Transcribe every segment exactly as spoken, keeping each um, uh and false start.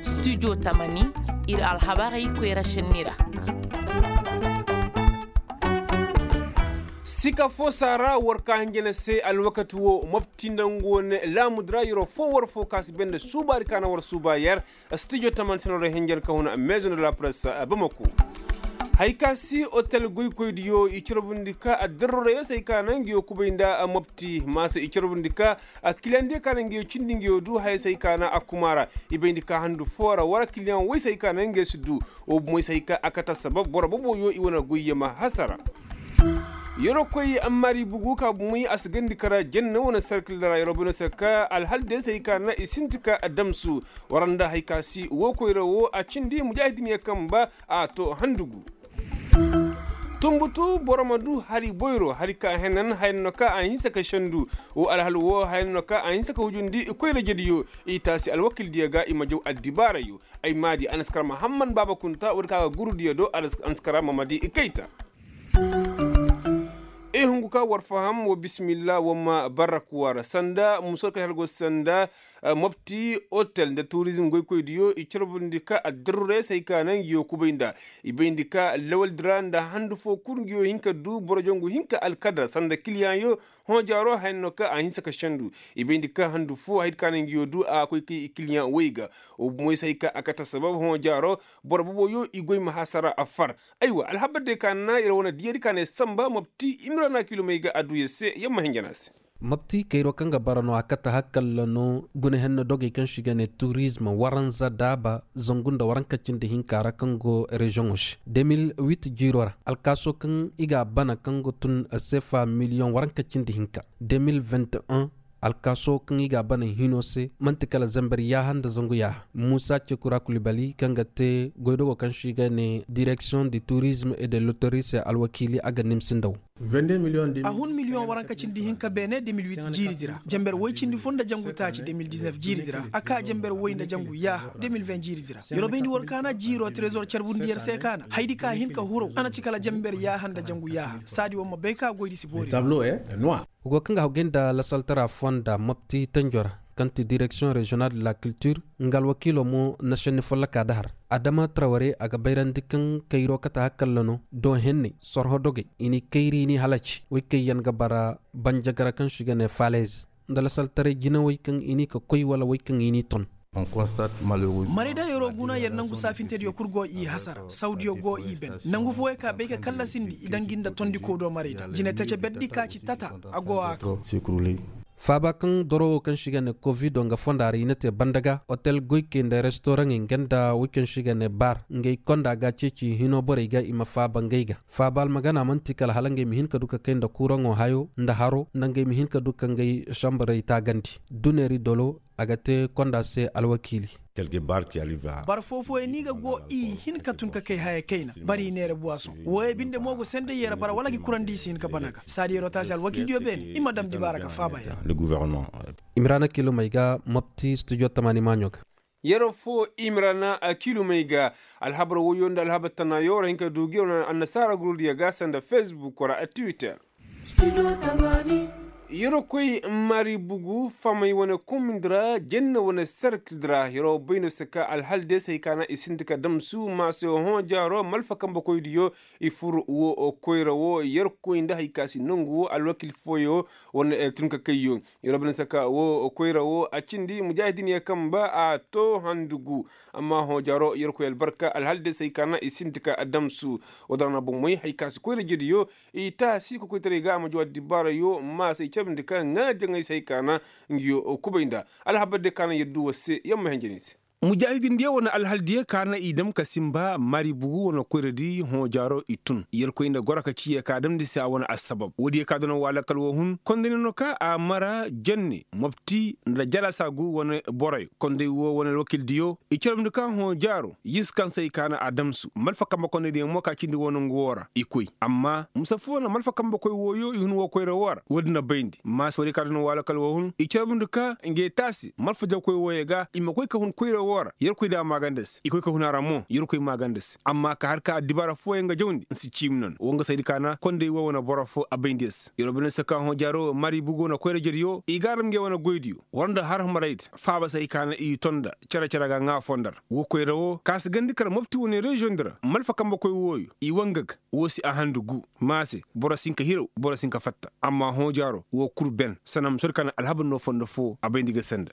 Studio tamani, ir alhabarey koyra šenni ra. Sika fo saara war ka hinjina se alwakati wo mopti nda nga wane laamudi ra yeroo fo war fo ka si bay nda suubaari ka na war suuba yer. Studio tamani se no ra hinjina ka huna maison de la presse bamako. Hay ka si otel goykoydiyo i carbundi ka addarrorey se hay ka na nga yo kubay nda mopti maasa i carbundi ka kiliyaŋ diyo ka na nga yo cindi nga yo du haya se hay ka na a kuma ra. I bayndi ka handu foo ra wara kiliyaŋ woy se hay ka na nga yo si du. Wo bumoy se hay ka a kate assabab boro boboyo i wane goyye ma hasara. Yeroo koy ammari bugu ka bumoy a si gandi kara janna wane sarkil ra yeroo bay no se ka alhal diyo se hay ka na i sinti ka damsu. Wara nda hay ka si woo koyra woo a cindi mujaahidin ya kamba a to handugu. Tunbutu boro ma du hari boyro hari ka henan haya no ka a hinsa ka sendu. Woo alhal woo haya no ka a hinsa ka hujundi koyra jediyo. I taasi alwakildiyo ga i ma jaw addibaarayo. Ay maadi anaskara mahamman baaba kunta woodi ka ga gurudiyo do anaskara mamadi kayta. I hungu ka war faham wa bismillah wa ma barak war sanda musor kay halgo sanda. Mopti otel nda turizm goykoydiyo i carbundi ka addarure se hay ka na ngi yo kubay nda i bayndi ka lawaldi ra nda handu fo kul ngi yo hin ka du boro jangu hin ka alkadar sanda kiliyaŋyo. Hõ jaaro haya no ka a hinsa ka sendu. I bayndi ka handu fo haydi ka na ngi yo du a koy kay i kiliyaŋ woy ga. Wo bumoy se hay ka a kate assabab hõ jaaro boro boboyo i goy ma hasara a far. Aywa alhabar day ka na ir wane diyadi ka na ir samba mopti imrana kilomey ga a du yer se yer ma hinjana se. Mopti kayro kaŋ ga bara no a kate hakkalla no guna henna dogey kaŋ se i ga ne turizm waranza daaba zangu nda waranka cindi hinka ra kaŋ go reziyoŋo se de mil wit jiiro ra alkaaso kaŋ i ga a bana kaŋ ga tun sefa miliyoŋ waranka cindi hinka de mil wit un. Alkaaso kaŋ i ga a bana hino se man'ti kala zamber yaaha nda zangu yaaha muusa cekura kulibali kaŋ ga te goydogo kaŋ se i ga ne direksiyoŋ de turizm et de lotori se alwakiili a ga nimsi nda wo. A hun miliyoŋ waranka cindi hinka beene de mil wit jiiridi ra jamber woy cindi fo nda jangu taaci de mil diznef jiiridi ra a ka jamber woy nda jangu yaaha de mil ven jiiridi ra yer wo bayndi war kaana jiiro trezor carbundi yer se kaana haydi ka hin ka huraw a na ci kala jamber yaaha nda jangu yaaha saadi wo ma bay ka goydi si boori. Wo go kaŋ ga hawgay nda lasaltara fonda mopti tanjo ra kaŋ ti direksiyoŋ reziyonal de la kiltir nga alwakiilo mo na senni folloka da har adama traware a ga bayrandi kaŋ kayro kate hakkalla no do henney sorho dogey i n'i kayri i n'i halaci woy kaŋ yaŋ ga bara banjagara kaŋ se i ga ne falez nda lasaltaray jinawey kaŋ i n'i ka koy wala woy kaŋ i n'i ton. Marayda yeroo guna yer nangu saafintediyo kul go i hasara sawdiyo go i ben nangu fooyey ka bay ka kallasindi i dangi nda tondikoo do marayda jinetace berdi ka ci tata a go a kaŋ. Faaba kaŋ doro wo kaŋ se i ga ne kovido nga fonda ra i na te banda ga otel goykey nda restoraŋey nga nda woy kaŋ se i ga ne bar ngey konda ga ceeci hino borey ga i ma faaba ngey ga faaba almagana man'ti kala hala ngey ma hin ka du ka kay nda kuraŋo hayo nda haro nda ngey ma hin ka du ka ngey sambarey taagandi duneeri dolo a ga te konda se alwakiili. Bara foo-fooyaŋ ni ga go i hin ka tun ka kay haya kayna bara i neera buwasoŋ wooyo binde mo go senda yee ra bara wala gi kurandi i si hin ka bana ga saadi yeroo taasi alwakiildiyo beene i ma dam dibaara ka faaba yee ra. Imiraana kilomey ga mopti studio tamaani maaɲo ga. Yeroo foo imiraana kilomey ga alhabar woyo nda alhabar tanaayo ra hin ka du gi ra annasaara gurudiyo ga sanda fesbuk ra twitter. Yeroo koy mari bugu famey wane komindi ra jenne wane serkildi ra yeroo bay no se ka alhal de se hay ka na i sinti ka damsu maase hõ jaaro malfa kambekoydiyo. I fur wo koyra wo yerkoy nda hay ka si nongu wo alwakil fooyo wane tun ka kayyo. Yeroo bay no se ka wo koyra wo a cindi mujaahidin ya kamba a to handugu. Amma hõ jaaro yerkoy albarka alhal de se hay ka na i sinti ka damsu. Wo da ra na bomey hay ka si koyra jediyo i taasi kokoytaray ga a ma jaw addibaarayo ma se i cabandi ka ŋaa jaŋay se hay ka na. Ngi yo kubay nda alhabar de ka na yer du war se yer ma henjen i se. Mujaahidindiyo wane alhaldiyo ka na i dam ka sinba mari bugu wane koyradi hõ jaaro i tun yerkoy nda goro ka ci ye ka damndi se a wane assabab woodiyo ka danaŋ waalakal wo hun kondayna no ka a mara jenne mopti nda jalasa gu wane boroyo konday wo wane alwakildiyo i carabndi ka hõ jaaro yis kaŋ se i ka na a damsu malfa kambe kondaydiyo mo ka cindi wo nangu wo ra i koy amma mise foo na malfa kambekoy wooyo i hun wo koyra wo ra woodin na bayndi maasa woodiyo ka danaŋ waalakal wo hun i carabndi ka ngey taasi malfa jawkoy wooyo ga i ma koy ka hun koyra wo. Woo ra yerkoy da a maaganda se i koy ka hun a ra mo yerkoy maaganda se amma ka har ka addibaara fooyaŋ ga jawndi nsi ciimi noona woo nga saydi kaana konday woo wane boro foo a bayndi yer se yeroo bine se ka hõ jaaro mari bugo na koyra jediyo i ga a dam ngey wane goydiyo war nda har humaraydi faaba se hay kaana i ton nda cere-cere ga ŋaa foo nda ra woo koyra woo ka si gandi kala mopti wane reziyoŋdi ra malfa kambekoy wooyo i wanga ga woo si a handu gu ma se boro si hin ka hiraw boro si hin ka fatta amma hõ jaaro woo kul ben sanamusoodi kaana alhabar no fondo foo a bayndi ga senda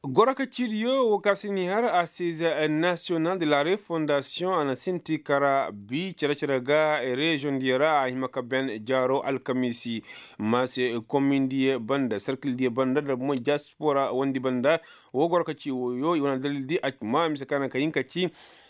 goro ka ciidiyo woo ka si ni har asiize nasiyonal de la refondasiyoŋ a na sinti kara bi cere-cere ga reziyoŋ diyo ra a hima ka ben jaaro alkamiisi ma se komin diyo banda sarkil diyo banda nda bomey diyaspora wondi banda woo goro ka ci wooyo i wane dalil di a ci ma mise ka naŋ ka hin ka ci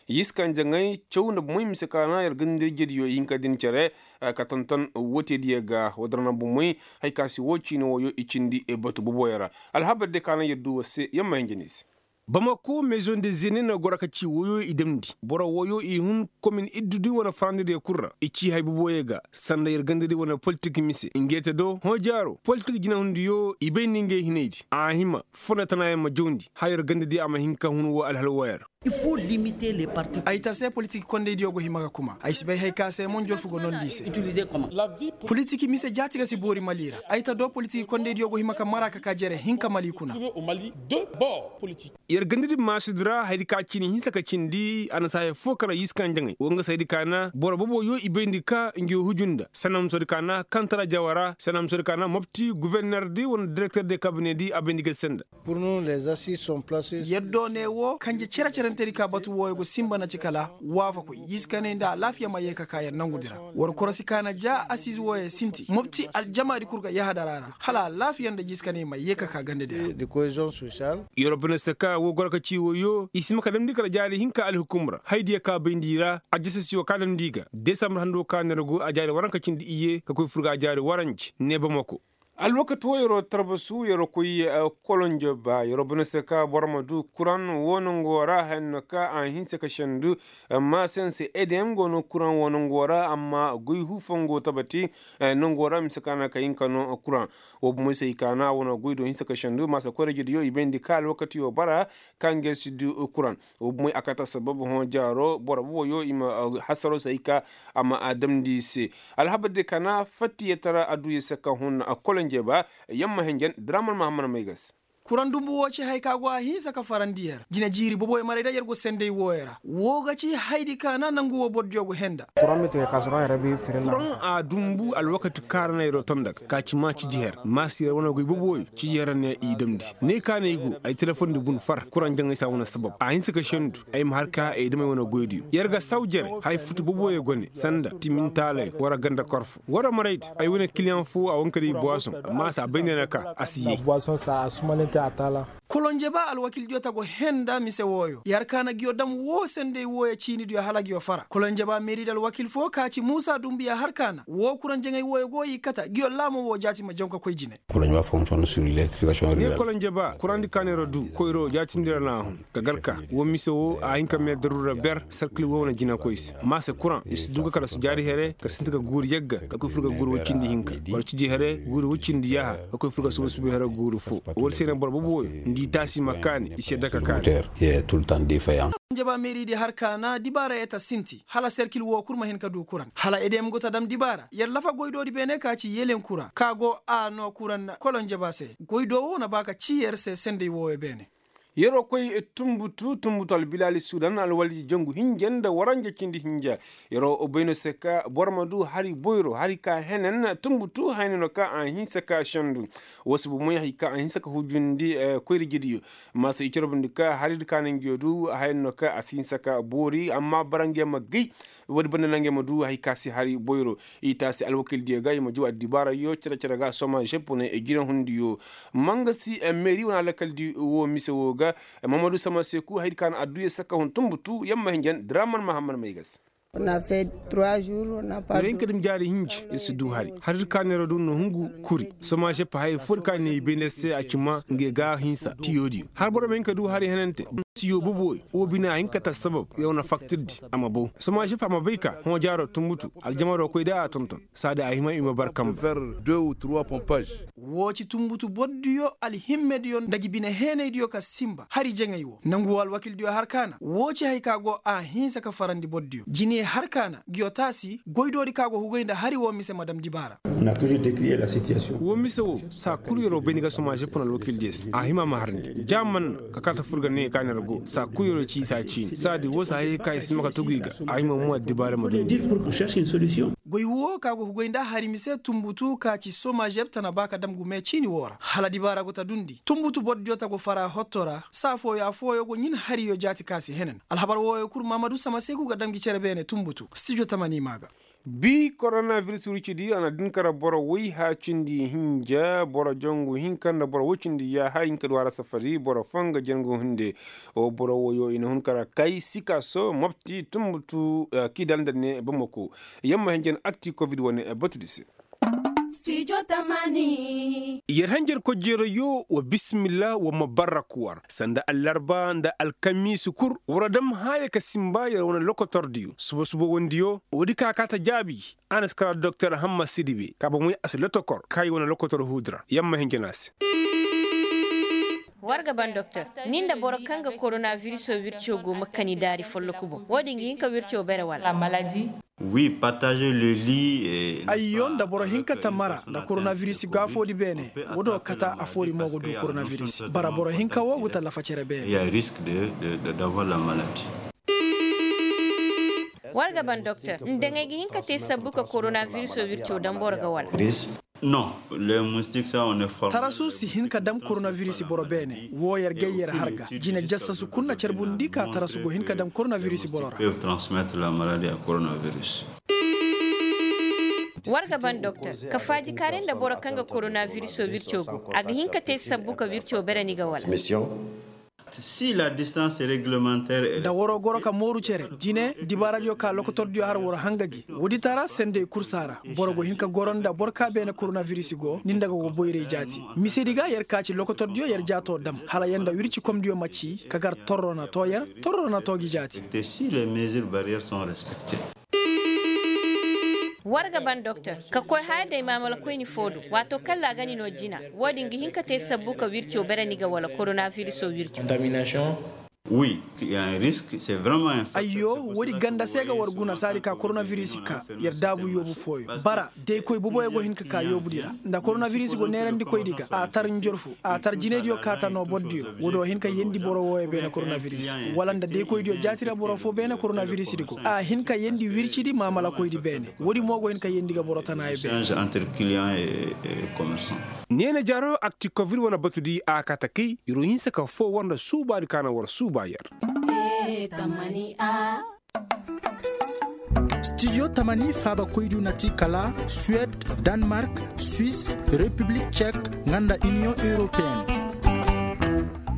yiskanjaŋey caw nda bomey mise ka naŋ yer ganda ijediyo i hin ka din cere ka tonton wootediyo ga woo da ra naŋ bomey hari ka se woo ciini wooyo i cindi batu boboyo ra alhabar diyo ka naŋ yer du war se yer ma hin ja ni se bamako mezoŋ de zene na goro ka ci wooyo i damndi boro wooyo i hun komin iddudi wane farandidiyo kul ra i ci hay boboyo ga sanda yer gandadi wane politik mise ngey te do hõ jaaro politik jinahundiyo i bay nda ngey hinaydi a hima foo nda tanaayaŋ ma jawndi hala yer gandadi a ma hin ka hun woo alhal wooyo ra ay ta se politik kondaydiyo go hima ga kuma ay si bay hay ka se mo njorfu go nondi i se politik mise jaati ga si boori mali ra ay ta do politik kondaydiyo go hima ka mara ka ka jere hinka mali kuna yer ganda din maasudi ra hayadi ka cini hinsa ka cindi a na si haya foo kala yiska njaŋay wo nga saydi ka na boro boboyo i bayndi ka ngi huju nda sanamusoodi ka na kantara jawara sanamusoodi ka na mopti guvernerdi wala direkterdi kabinedi a bayndi ga senda yer do ne wo kanje cere-cerentedi ka batu wooyo go sinba na ci kala waafakoy yiska ne nda alaafiya ma yee ka ka yer nangudi ra war korosi ka na ja asiize wooyo sinti mopti aljamaadi kul ga yahadara ra hala alaafiya nda yiska ne ma yee ka ka gandadi ra yeroo bine se ka woo goro ka ci wooyo i si ma ka damndi kala jaari hinka alhukum ra haydiyo ka bayndi i ra aljasasiyo ka damndi i ga desambar hando ka nergo a jaari waranka cindi iyye ka koy fur ga a jaari waranci ne bamako alwakati woo yeroo tarbasu yeroo koy kolonjo ba yeroo bine se ka boro ma du kuraŋ woo nangoo ra haya no ka a hinse ka sendu amma sense edem go no kuraŋ woo nangoo ra amma goy huufoŋ go tabati nangoo ra mise ka na ka hin ka no kuraŋ woo bomey se i ka na wane goy do hinse ka sendu maasa koyra jediyo i bayndi ka alwakatiyo bara ka ngey si du kuraŋ woo bomey a kate assabab hõ jaaro boro boboyo i ma hasaroo se hay ka a ma a damndi i se alhabar diyo ka na fattiye tara adduya se ka hun kolonje ba yamma hinjan draman mahammad maygas kuraŋ dumbu woo ci hay ka go a hinsa ka farandi yer jina jiiri boboyo maray da yer go senday wooyo ra woo ga ci hayadi ka na nangu woo borodiyo go henda kuraŋ a dumbu alwakati ka ra na yeroo tonda ga ka ci ma ciji her maasi yer wane goy boboyo ciji her ne i damndi ne ka na i go ay telefondi bun far kuraŋ jaŋay si a wane sabab a hinsa ka sendu ay ma har ka ay damay wane goydiyo yer ga saw jere haya futu boboyo gone sanda timintaalayo wara ganda korfo wara maraydi ay wane kiliyaŋ foo a wanka day buwasoŋ amma a si a bay ne na ka a si yee kolonje ba alwakildiyo ta go henda mise wooyo yer ka na nguyo dam woo senday wooyo ciinidiyo hala nguyo fara kolonje ba meeridi alwakil foo ka ci muusa dumbuya har ka na woo kuraŋ jaŋay wooyo go i kata nguyo laamo woo jaati ma jaw ka koy jine ne kolonje ba kuraŋdi ka neera du koyro jaatindi ra na a hun ka gar ka woo mise woo a hin ka mee daruura ber sarkil woo wane jinakoy se maase kuraŋ i si du ga kala su jaari here ka sinti ga guuri yagga ka koy fur ga guuri woy cindi hinka wala ciji here guuri woy cindi yaaha ka koy fur ga suba suba here guuri foo wala se na boro boboyo nda i taasi ma kaani i si yadda ka kaani njaba meeridi har ka na dibaara yee ta sinti hala serkil woo kul ma hin ka du kuraŋ hala edem go ta dam dibaara yer lafa goydoodi beene ka ci yelen kuraŋ ka go a noo kuraŋ kolonjaba se goydoo woo na ba ka ci yer se senday wooyo beene yeroo koy tunbutu tunbutu albilaali sudan alwalji jangu hinja nda waranja cindi hinja yeroo bayno se ka boro ma du hari boyro hari ka henen tunbutu hayni no ka a hinsa ka sendu woo si bomoy hari ka a hinsa ka hujundi koyri jidiyo maasa i corobundi ka hari di ka na nguyo du hayni no ka a si hinsa ka boori amma bara nguyo ma gay woodi banda na nguyo ma du hari ka si hari boyro i taasi alwakildiyo ga i ma jaw addibaarayo cere-cere ga soma žepone jinahundiyo mangasi meeri wane alakaldi woo mise woo ga mamadu sama seeku hayadi ka na adduya saka hun tunbutu yamma hinjan draman mahammad maygas yer hin ka dum jaari hinji yer si du hari hari di ka neera du na hungu kuri soma žep haya foo di ka ne i bay ne se a ci ma ngey ga hinsa tiyoodiyo har boro ma hin ka du hari henante Yo bobo, wo bine a hin ka ta sabab yer wane faktirdi a ma bow. Somaažep a ma bay ka hõ jaaro tunbutu aljamaro koy da a tonton. Saadi a hima i ma bar kamba. Woo ci tunbutu bordiyo alhimmediyo nda gi bine heenaydiyo ka sinba hari jaŋay woo nangu woo alwakildiyo har ka na woo ci haya ka go a hinsa ka farandi bordiyo jine har ka na ngiyo taasi goydoodi ka go hugay nda hari woo mise ma dam dibaara. Woo mise woo saa kul yeroo bay ni ga somaažep na alwakildiyo se a hima ma harandi ja man na ka kaata fur ga ne ka ner go saa kul yeroo ci i saa ciini saadi woo saa hayey ka i si ma ka tugu i ga. A hima mo addibaara ma dundi. Goy woo ka go hugay nda hari mise tunbutu ka ci somaažep tana ba ka dam gume ciini woo ra hala dibaara go ta dundi tunbutu bordiyo ta go fara hotto ra saa fooyo affooyo go ɲin hariyo jaati ka si henan alhabar wooyo kul mahamadu sama se go ga dam gi cere beene tunbutu stijo tamani maa ga. Bi koronabiris wircidi a na din kara boro woy haa cindi hinja boro jangu hinka nda boro woy cindi yaaha hinka du a ra safari boro foo nga jangu hinde. Wo boro woyo i na hun kara kay sikaso mopti tunbutu kidal nda ne bamako. Yamma hinja na akti kovid wane batudi se. Yer hanjar kojjeerayo wa bisimilla wa ma barrak war sanda allarba nda alkamiisi kul war dam haaya ka simba yer wane lokotordiyo suba-suba wandiyo woodi ka kaa ta jaabi. A na si kara doktor hamma sidibe ka ba moy a si lotokor ka i wane lokotor huudi ra yamma hinja na a se. War ga ban doktor, ni nda boro kaŋ ga koronabirisoo wirco go ma kani daari folloku boŋ wo-din ga hin ka wirco bere wala? Ayyo nda boro hinka tamara nda koronabiris gaafoodi beene. Wo do kata afoori mo go du koronabiris bara boro hinka wo go tallafa cere beene. War ga ban doktor, nda ŋay ga hin ka te sabbu ka koronabirisoo wirco daŋ boro ga wala? Tarasu si hin ka dam koronabiris boro beene woo yer gay yer har ga jine jasasu kul na carbundi ka tarasu go hin ka dam koronabiris boro ra. War ga ban doktor, ka faajikaaray nda boro kaŋ ga koronabirisoo wirco go a ga hin ka te sabbu ka wirco bere ni ga wala? Da waroo goro ka mooru cere jine dibaaradiyo ka lokotordiyo har war hanga gi woodi tara sendey kul si a ra. Boro go hin ka goro nda boro ka beene koronabiris go ni nda ga go boyray jaati. Misedi ga yer ka ci lokotordiyo yer jaatoo dam hala yer nda wircikomdiyo ma ci ka gar torro na too yer torro na too gi jaati. War ga ban doktor, ka koy haya day maamalakoyni foo do waatoo kaŋ ra a ga ni noo jina. Wo-din ga hin ka te sabbu ka wirco bere ni ga wala koronabirisoo wirco? Ayyo, woodi ganda se ga war guna saadi ka koronabiris ka yer daabu yoobu fooyo bara daykoy boboyo go hin ka ka yoobudi ra. Nda koronabiris go neerandikoydi ga a tar njorfu a tar jinaydiyo kaata noo bordiyo. Woodi wo hin ka yeendi boro wooyo beene koronabiris wala nda daykoydiyo jaati ra boro foo beene koronabirisdi go a hin ka yeendi wircidi maamalakoydi beene. Woodi mo go hin ka yeendi ga boro tanaayo beene. Neene jaro akti kovid wane batudi a kaata kay. Yer wo hinsa ka foo war nda suubaadi ka na war suuba yer. Stijo tamani faabakoydiyo na ti kala suwed, danmark, swis, repiblik cek, nga nda iniyoŋ europeen.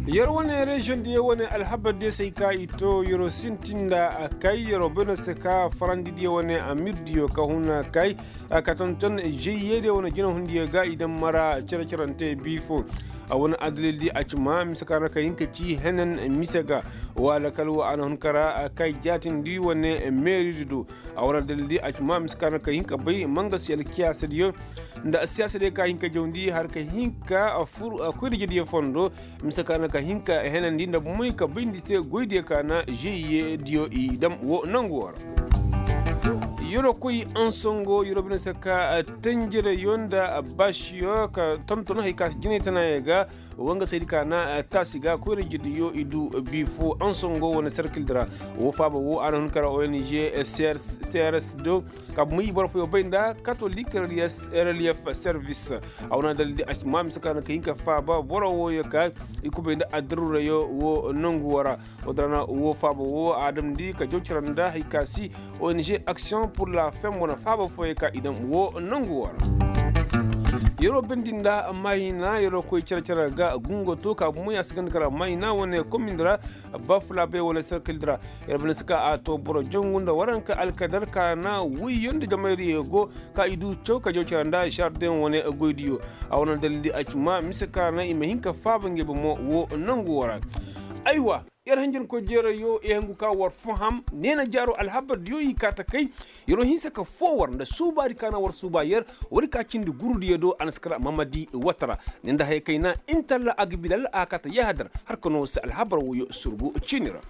Yer wane reziyoŋ diyo wane alhabar diyo se ay ka i to yer wo sintin nda a kay yer wo bay no se ka farandi diyo wane amir diyo ka huna kay. Ka tonton žeyye diyo wane jinahundiyo ga i daŋ mara cere-cerante biifo. A wane addalildi a ci ma mise ka na ka hin ka ci henen mise ga. Wala kala wo a na hun ka ra kay jaatindi wane meeridi do. A wane addalildi a ci ma mise ka na ka hin ka bay mangasi alkiyaasadiyo nda siyaasadiyo ka hin ka jawndi har ka hin ka fur koyrijediyo fondo. Mise ka na ka hin ka henandi nda moy ka bayndi se goydiyo ka na žeyye diyo i dam wo nangu wo ra. Yeroo koy ansongo yeroo bine se ka tanjireyo nda baasiyo ka tonton hay ka si jinay tanaayey ga. Wangasaydi ka na taasi ga koyra jirdiyo i du biifo ansongo wane serkildi ra. Wo faaba wo a na hun kara ong crs do ka bumey boro fooyo bay nda katolik relief service. A wane adaldi a si ma mise ka na ka hin ka faaba boro wooyo ka i kubay nda addarurayo wo nangu wo ra. Wo dara na wo faaba wo a damndi ka jaw cira nda hay ka si ong action pour la fem wane faaba fooyo ka i dam wo nangu wo ra. Yeroo bendi nda mayina yeroo koy cere-cere ga gungo to ka bumey a si ganda kara mayina wane komindi ra. Bafulaabey wane serkildi ra. Yer bana si ka a to boro jangu nda waranka alkadar ka na woyyo nda jamayriyo go ka i du caw ka jaw cere nda žardeŋ wane goydiyo. A wane dalildi a ci ma mise ka na i ma hin ka faaba ngey bomo wo nangu wo ra. Aywa. Yer hanjankoy jeerayyo i hangu ka war faham neena jaaro alhabardiyo i kaa ta kay. Yer wo hinsa ka foo war nda suubaadi ka na war suuba yer. Woodi ka cindi gurudiyo do a na si kar mamadi wata ra. Ni nda haya kay na intalla a ga bilal a kaa ta yahadar. Har ka no si alhabar woyo surgu ciini ra.